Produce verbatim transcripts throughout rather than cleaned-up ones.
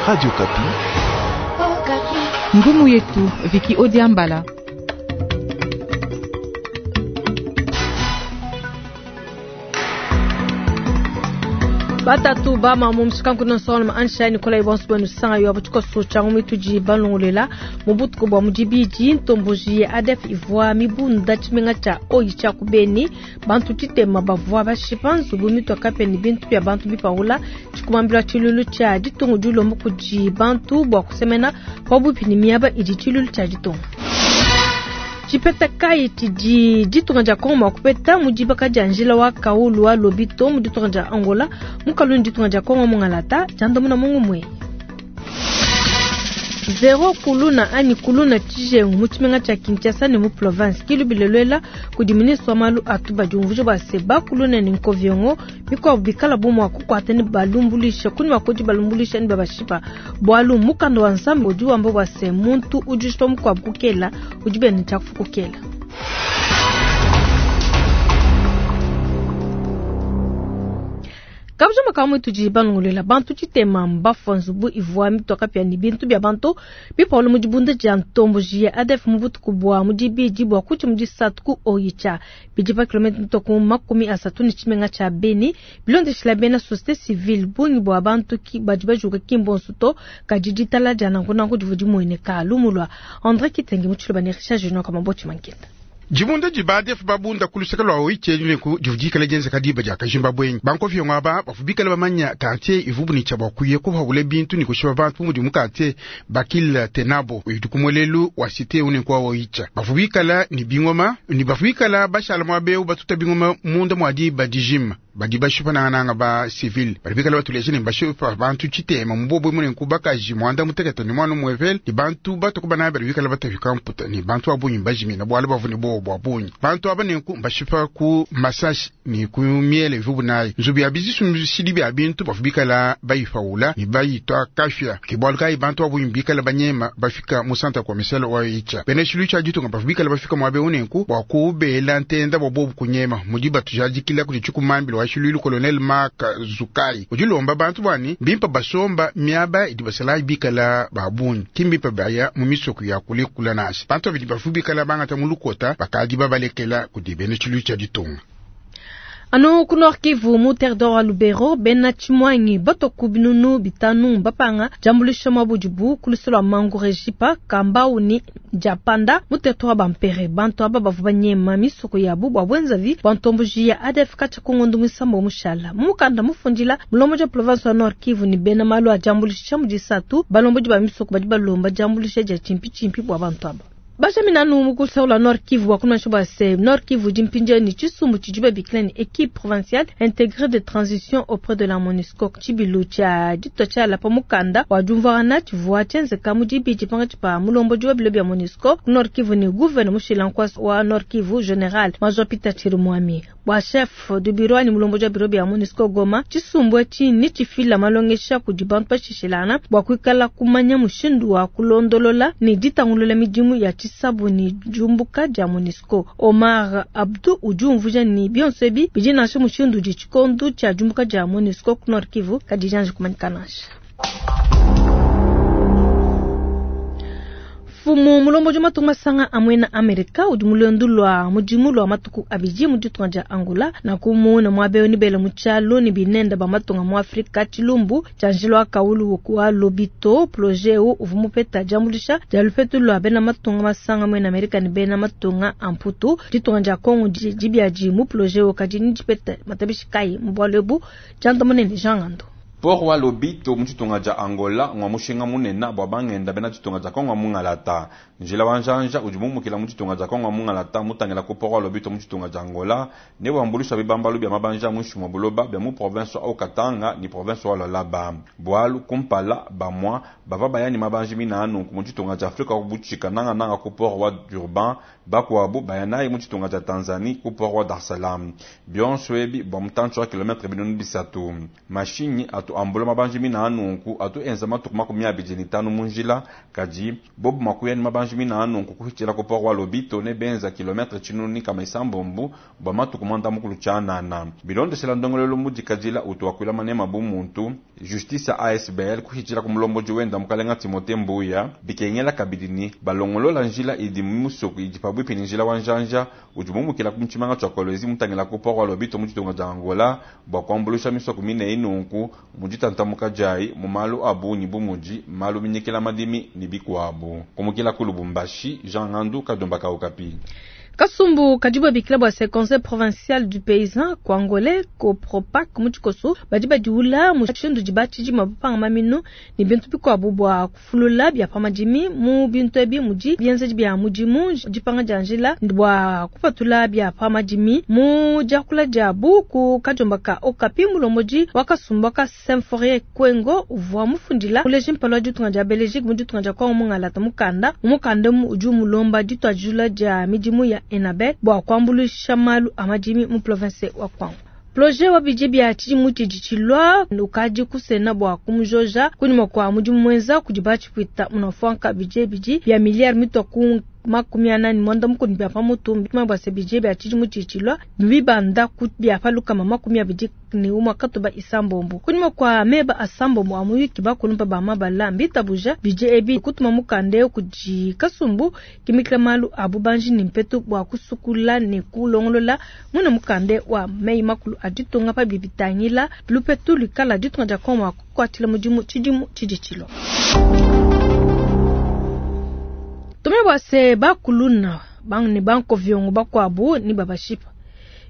Radio Okapi. Ngumu yetu Viki Odiambala. Batatu bama mu mushikanku nonsolo ansha Nikolai bonso bwenu sanga yo abutuko changu mituji balongolela mubutuko bwa mudibidi ntomboji ya ADF ivwa mibunda chimenga cha oyicha kubeni bantu titema bavwa bashipa nzubu mitwa kapeni bintu bya bantu bipaula chikumambila chilulu cha ditungu dilombo kudi bantu bwa kusemena pabupi ni miaba idi chilulu cha ditungu Chipeta kai tidi ditunga dia Kongo mwakupeta mudibaka dia njila wa kaulu wa lobito mu ditunga dia Angola mukaluni ditunga dia Kongo mungalata jandomuna mungu mwe Zero kuluna ani kuluna tshijengu mu tshimenga tshia Kinshasa ne mu province kilubilelwela kudi ministre wa malu atuba diumvuja bua se bakuluna ne nkoviongo mikuabu bikala bu mua kukuata ne balumbulisha kuni makodi balumbulisha ne babashipa bualu mukanda wa nzambi udi wamba bua se muntu udi ushipa mukuabu kukela udi bene tshiakufu kukela. Kabujama kamwe tudi balongolela bantu tshitema mbafua nzubu ivua mitoka pia ni bintu bia bantu bipolo mu dibunda dia ntomboji ya ADF mu butuku bua mu dibidi bua kuti mu disatu ku Oicha bidi pa kilometre mitoku makumi asatu ni tshimenga tshia Beni bilondeshila bena société civile bungi bua bantu ki badi bajuka kimbonso to kadi ditala dia nankunanku divua dimueneka lumulwa André Kitenge mu tshiloba ne Richard Junior Kamaboti Mankenda. Jibunda jibadef babunda kulusaka lwa oiche neku jivudikala jenza kadiba ja kajimba bwenyi bankofi ngaba bafubikala bamanya quartier ivubu ni chabwa kuye kuba bintu ni kushiba bantu mudi mu quartier bakil tenabo uyidukumwelelu wa cité une kwa oicha bafubikala ni bingoma ni bafubikala bashala mwabe batuta bingoma munda mwadi badijima badi bashipa nanga ba civil badi batuleje ne bashipa bantu chitema mbobo mune kubakaji mwanda muteketa ni mwana mwevel ni bantu batukuba na bali bikala batafika mputa ni bantu abunyi bajimi na bwale bavune bo bwabunyi bantu abane ku bashipa ku massage ni ku miele vubu nayi nzubi ya bizisu mshidi bya bintu bafubikala bayifaula ni bayitwa kafya kibwalu kai bantu abunyi bikala banyema bafika mu santa kwa miselo wa icha bene shilu cha jitunga bafubikala bafika mwabe unenku bwa kubela ntenda bwa kunyema mudiba tujajikila kuti chikumambilo wa Lulu colonel Mark Zukai ujilomba bantu bwani bimpa basomba miaba idi basala bikala babunyi kimbimpa baya mu misoko ya kulikula nasi bantu abidi bafu bikala bangata mulukota bakadi babalekela kudibene chilu cha ditunga. Ano ku Nord Kivu mu territoire wa Lubero bena Tshimwangi batoku binunu bitanu bapanga jambulisha mabudibu kulusolo mangu rejipa kambau ni japanda mu territoire bampere bantu aba bavu banyema misoko yabu bwa bwenzavi bantombuji ya ADF kacha kungondu misambo mushala mukanda mufundila mulomo ja province wa Nord Kivu ni bena malu a jambulisha mudisatu balomboji ba misoko badi balomba jambulisha ja chimpi chimpi bwa bantu aba Bajaminanu mukusaula Nord Kivu wakuna shoba se Nord Kivu jimpinja ni chisumbu chijibe bikilani équipe provinciale intégrée de transition auprès de la MONUSCO chibilu cha dito cha la pamukanda wa jumvarana chivua chenzeka mujibi chipanga chipa mulombo jiwa bilo bya MONUSCO Nord Kivu ni gouverneur mushilankwa wa Nord Kivu général Major Peter Chirimwami wa chef de bureau ni mulombo jiwa bilo bya MONUSCO Goma chisumbu chi ni chifila malongesha kudibantu pashishilana bwa kuikala kumanya mushindu wa kulondolola ni ditangulola midimu ya sabuni jumbuka ja MONUSCO Omar Abdu ujumvuja ni bionsebi bijinashe mushindu di chikondu cha jumbuka ja MONUSCO ku Nord Kivu kadijanje kumanyikanasha Fumu mulombo juma tumasanga amwena Amerika udi mulendu lwa mudimu lwa matuku abidi mu ditunga dia Angola na kumuna mwabe ni bele muchalo ni binenda ba matunga mu Afrika chilumbu chanjilwa kaulu wa lobito projet u uvumupeta jambulisha jalupetu lwa bena matunga masanga mwena Amerika ni bena matunga amputu ditunga dia Kongo dibiaji mu projet u kadini dipeta matabishi kai mbwalebu jandamonene jangando Port wa Lobito mu tshitunga dia Angola ngwa mushinga munene bwa bangenda bena tshitunga dia Kongo mungalata njila wa njanja udi mumukila mu tshitunga dia Kongo mungalata mutangila ku port wa Lobito mu tshitunga dia Angola ne wambulisha bibambalu bia mabanja muinshi mua buloba bia mu province wa Katanga ni province wa Lualaba bwalu kumpala bamwa bava bayani mabanji minanu mu tshitunga dia Afrika kubutshika nangananga ku port wa Durban bakuabu bayanayi mu tshitunga dia Tanzanie ku port wa Dar es Salaam bionso ebi bua mutantshi wa kilometre binunu bisatu mashinyi atu atu ambula mabanji mina anunku atu enza matuku makumi abidi ne tanu mu njila kadi bobu makuya ne mabanji mina anunku kuhitshila ku port wa Lobito ne benza kilometre tshinunu ne kama isambombu bua matuku mwanda mukulu tshianana. Bilondeshela ndongolelo mudikadila utu wakuila manema bu muntu justice A S B L kuhitshila ku mulomboji wenda mukalenga Timote Mbuya bikengela kabidi ni balongolola njila idi musoku idi pabwipi ni njila wa njanja udi mumukila ku mutshimanga tshia Kolwezi mutangila ku port wa Lobito mu ditunga dia Angola bua kuambulusha misoko mine inunku mu ditantamuka diayi mu malu a bungi bu mudi malu minyikila madimi ne bikuabu. Kumukila ku Lubumbashi, Jean Ngandu Kadomba Kaukapi. Kasumbu kadi babikila bua se Conseil provincial du paysan Kwangole Copropac mu tshikoso badi badiula mushindu di batshidima bapanga maminu ne bintu bikuabu bua kufulula bia pa madimi. Mu bintu ebi mudi bienzedi bia mudimu, dipanga dia njila bua kupatula bia pa madimi. Mu diakula diabu ku kadiomba ka Okapi, mulombodi wa kasumbu ka Symphorien Kwengo uvua mufundila muleji mpala wa ditunga dia Belgique mu ditunga dia Kongo mungalata mukanda. Mukanda udi umulomba dituadijula dia midimu ya Enabel bua kuambuluisha malu a madimi mu province wa Kwango. Projet wa budget bia tshidimu tshidi tshilua ukadi kusena bua kumujoja kunyima kua mudimu muenza kudi batshipwita munafuanka. Budget bidi bia miliyari mitua ku makumi anani mwanda mukulu bia pamutu bua se budget bia tshidimu tshidi tshilua bibanda ku bia palukama makumi abidi ne umua katuba isambombo. Kunyima kua meba asambombo a muyuki, bakulumpa ba mabala mbitabuja budget ebi kutuma mukanda kudi kasumbu kimikila malu a bubanji ne mpetu bua kusukula ne kulongolola muna mukanda wa meyi makulu a ditunga pa bibitangila lupetu luikala ditunga dia Kongo kukuatshila mudimu tshidimu tshidi tshilua. Tume bua se bakuluna ne bankoviongo bakuabu ni babashipa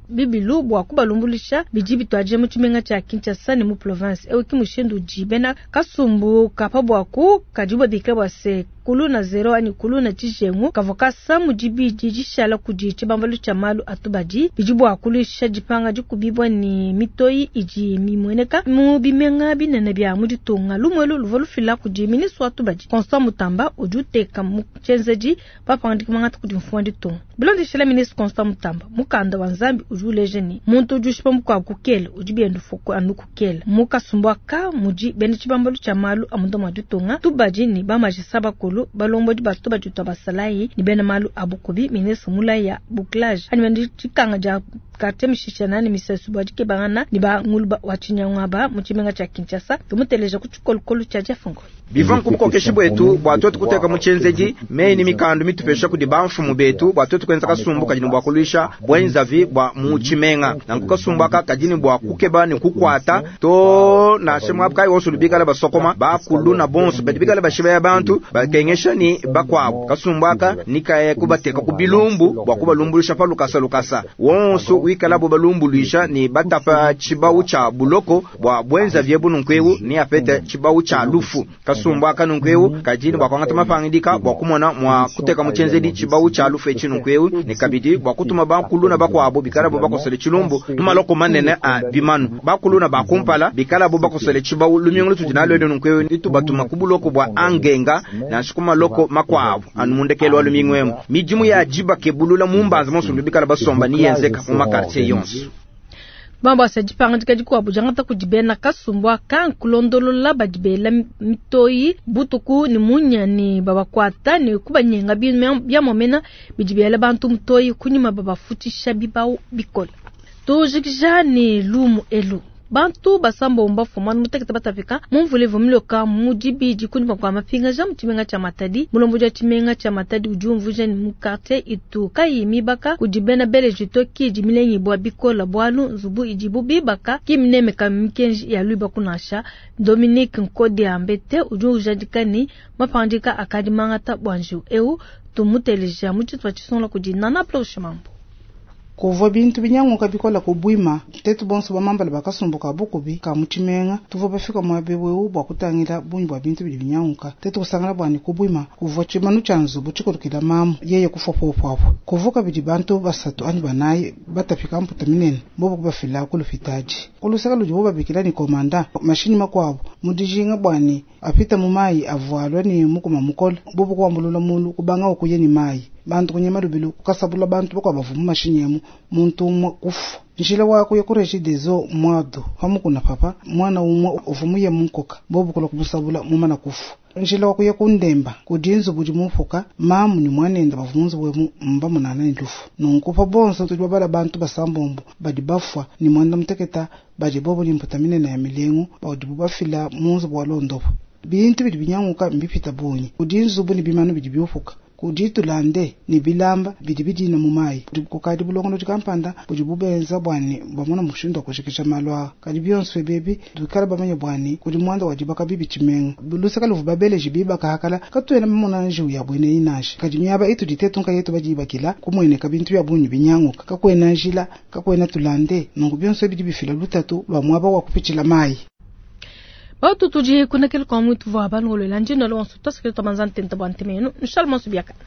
bibilu bua kubalumbulisha bidi bituadije mu tshimenga tshia Kinshasa ne mu province ewu. Ki mushindu udi bena kasumbu kapa buaku kadi babikila bua se kuluna zero anyi kuluna tshijengu kavua kasa mu dibidi dishala kudi tshibambalu tshia malu atubadi bidi bua kuluisha dipanga dikubibua ne mitoyi idi mimueneka mu bimenga binene bia mu ditunga. Lumuelu luvua lufila kudi ministre wa tubadi Constant Mutamba udi uteka mu tshienzedi papangadika mangata kudi mfumu wa ditunga. Bilondeshela ministre Constant Mutamba, mukanda wa Nzambi udi uleja ne muntu udi ushipa mukuabu kukela udi bienda fuku anu kukela. Mu kasumbu aka mudi bena tshibambalu tshia malu a munda mua ditunga, tubadi ne bamajisa bakulu, balombodi ba tubadi tua basalayi ne bena malu a bukubi. Ministre mulaya bouclage anyi bena tshikanga dia quartier mishishana ne misesu bua dikebangana ne banguluba wa tshinyangwaba mu tshimenga tshia Kinshasa. Tumuteleja ku tshikolokolo tshia Jeff Ngoi. Biva nkubukokeshi bwetu bua twetu kuteka mu tshienzedi meyi ni mikandu mitupesha kudi bamfumu betu bua twetu kuenza kasumbu kadi ne bua kuluisha bwenzavi bua mu tshimenga. Nanku kasumbu aka kadi ne bua kukeba ne kukwata to nansha muabu kayi wonso lubikala basokoma bakulu na bonso badi bikala bashiba bantu bakengesha ni bakuabu. Kasumbu aka nikaye kubateka ku bilumbu bua kubalumbulusha pa lukasa lukasa wonso wikala bo balumbuluisha ni batapa tshibawu tshia buloko bua bwenzavi ebu nunku ni apete tshibawu tshia lufu. Kasumbu aka nunku kadi ne bua kuangata mapangidika bua kumona mua kuteka mu tshienzedi tshibawu tshia lufu etshi nunku ne kabidi bua kutuma bakulu na bakuabu bikala bo bakosele tshilumbu mu maloko manene a bimanu. Bakulu na bakumpala bikala bo bakosele tshibawu lumingu lutudi nalwele nunku litubatuma ku buloko bua Angenga nansha ku maloko makuabu anu mundekelo wa lumingu emu. Midimu ya dibakebulula mu mbanza monso bikala basomba ni yenzeka mu makartier yonso. Bambo asa dipangadika dikuabu diangata kudi bena kasumbu aka nkulondolola badi bela mitoyi butuku ne munya ne babakwata ne kubanyenga bia momena bidi bela bantu mutoyi kunyima babafutisha bibawu bikole. Tujikija ne lumu elu: bantu basambombo bafuma mutekete batapika mu mvula ivua miloka mu dibidi kunyima kua mapingaja mu tshimenga tshia Matadi. Mulombodi wa tshimenga tshia Matadi udi umvuija ne mu quartier itu kayi mibaka kudi bena beleji to kidi milengibua bikola bualu nzubu idibu bibaka ki minemeka mikenji ya luibaku nansha. Dominique Nkodi Ambete udi ujadika ne mapangadika akadi mangata bua njiwu eu. Tumuteleja mu tshitupa tshisungula kudi Nana Plauche Mambo. Kuvua bintu binyanguka bikola kubwima tetu bonso bamambala bakasumbuka bukubi ka mu tshimenga tuvua bafika muaba ewu bua kutangila bungi bua bintu bidi binyanguka. Tetu kusangana buani kubwima kuvua tshimanu tshia nzubu tshikolokela mamu yeye kufua popo kuvua kabidi bantu basatu anyi banayi batapika mputa minene bobo kubafila ku lupitadi kuluseka ludibo babikila ni komanda mashini makuabu mu dijinga buani apita mu mayi avualwa ni mukuma mukole bobo kuambulula mulu kubanga okuye ni mayi. Bantu kunyema lubilu kukasabula bantu bakuabu bavua mu mashinyi emu, muntu umue kufua. Njila wa kuya ku Regideso Mwado pamukuna papa mwana umue uvua muye munkoka bobu kulua kumusabula mumana kufua. Njila wa kuya ku Ndemba kudi nzubu udi mupuka mamu ne mwanende bavua mu nzubu emu mbamunana ne lufu. Nunku pa bonso tudi babala bantu basambombo badi bafua ne muanda muteketa badi bobo ne mputa minene ya milengu badibu bafila mu nzubu wa londopa. Bintu bidi binyanguka mbipita bungi kudi nzubu ne bimanu bidi biupuka kudi tulande ne bilamba bidi bidina mu mayi. Kukadi bulongolodi kampanda budi bubenza bua ne bamona mushindu wa kujikija malu aa. Kadi bionso ebi tuikale bamanye bua ne kudi muanda wa dibaka bibi tshimenga. Luseke luvua babeleji bibaka hakala katuena bamona njiwu ya buena eyi nansha. Kadi miaba itudi tetu nkayetu badibakila kumueneka bintu bia bungi binyanguka. Kakuena njila, kakuena tulande. Nunku bionso ebi bidi bifila lutatu lua muaba wa kupitshila mayi. Batu tudi kunekele kwa mwitu vwa balongolwela njino lonso tosekele twamanza ntenta bwa ntemenu nshala monso biakana.